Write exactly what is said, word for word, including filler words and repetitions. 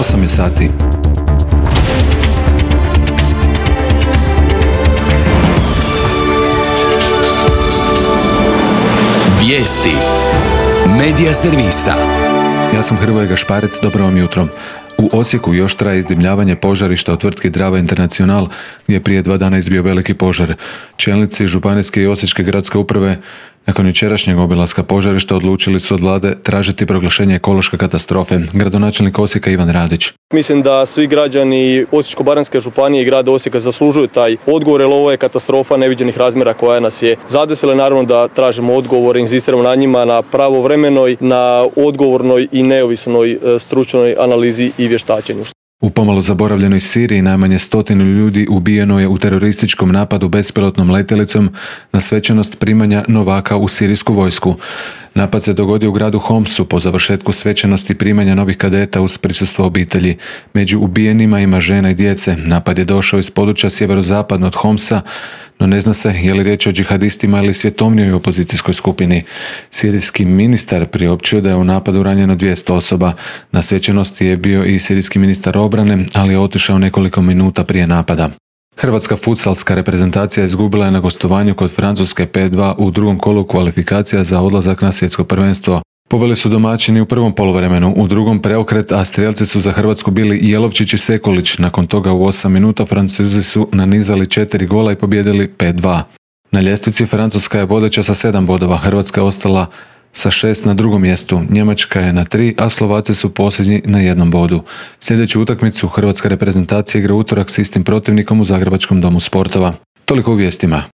osam je sati. Vijesti Medija servisa. Ja sam Hrvoje Gašparec, dobro vam jutro. U Osijeku još traje izdimljavanje požarišta od tvrtki Drava International, gdje je prije dva dana izbio veliki požar. Čelnici županijske i osječke gradske uprave nakon jučerašnjeg obilaska požarišta odlučili su od vlade tražiti proglašenje ekološke katastrofe. Gradonačelnik Osijeka Ivan Radić. Mislim da svi građani Osječko-baranjske županije i grada Osijeka zaslužuju taj odgovor, jer ovo je katastrofa neviđenih razmjera koja nas je zadesila. Naravno da tražimo odgovor, inzistiramo na njima, na pravovremenoj, na odgovornoj i neovisnoj stručnoj analizi i vještačenju. U pomalo zaboravljenoj Siriji najmanje stotinu ljudi ubijeno je u terorističkom napadu bespilotnom letjelicom na svečanost primanja novaka u sirijsku vojsku. Napad se dogodio u gradu Homsu po završetku svečanosti primanja novih kadeta uz prisustvo obitelji. Među ubijenima ima žena i djece. Napad je došao iz područja sjeverozapadno od Homsa, no ne zna se je li riječ o džihadistima ili svjetovnijoj opozicijskoj skupini. Sirijski ministar priopćio da je u napadu ranjeno dvjesto osoba. Na svečanosti je bio i sirijski ministar obrane, ali je otišao nekoliko minuta prije napada. Hrvatska futsalska reprezentacija izgubila je na gostovanju kod Francuske pet dva u drugom kolu kvalifikacija za odlazak na svjetsko prvenstvo. Poveli su domaćini u prvom poluvremenu, u drugom preokret, a strijelci su za Hrvatsku bili Jelovčić i Sekulić. Nakon toga u osam minuta Francuzi su nanizali četiri gola i pobijedili pet dva. Na ljestvici Francuska je vodeća sa sedam bodova, Hrvatska je ostala sa šest na drugom mjestu, Njemačka je na tri, a Slovaci su posljednji na jednom bodu. Sljedeću utakmicu hrvatska reprezentacija igra utorak s istim protivnikom u Zagrebačkom domu sportova. Toliko u vijestima.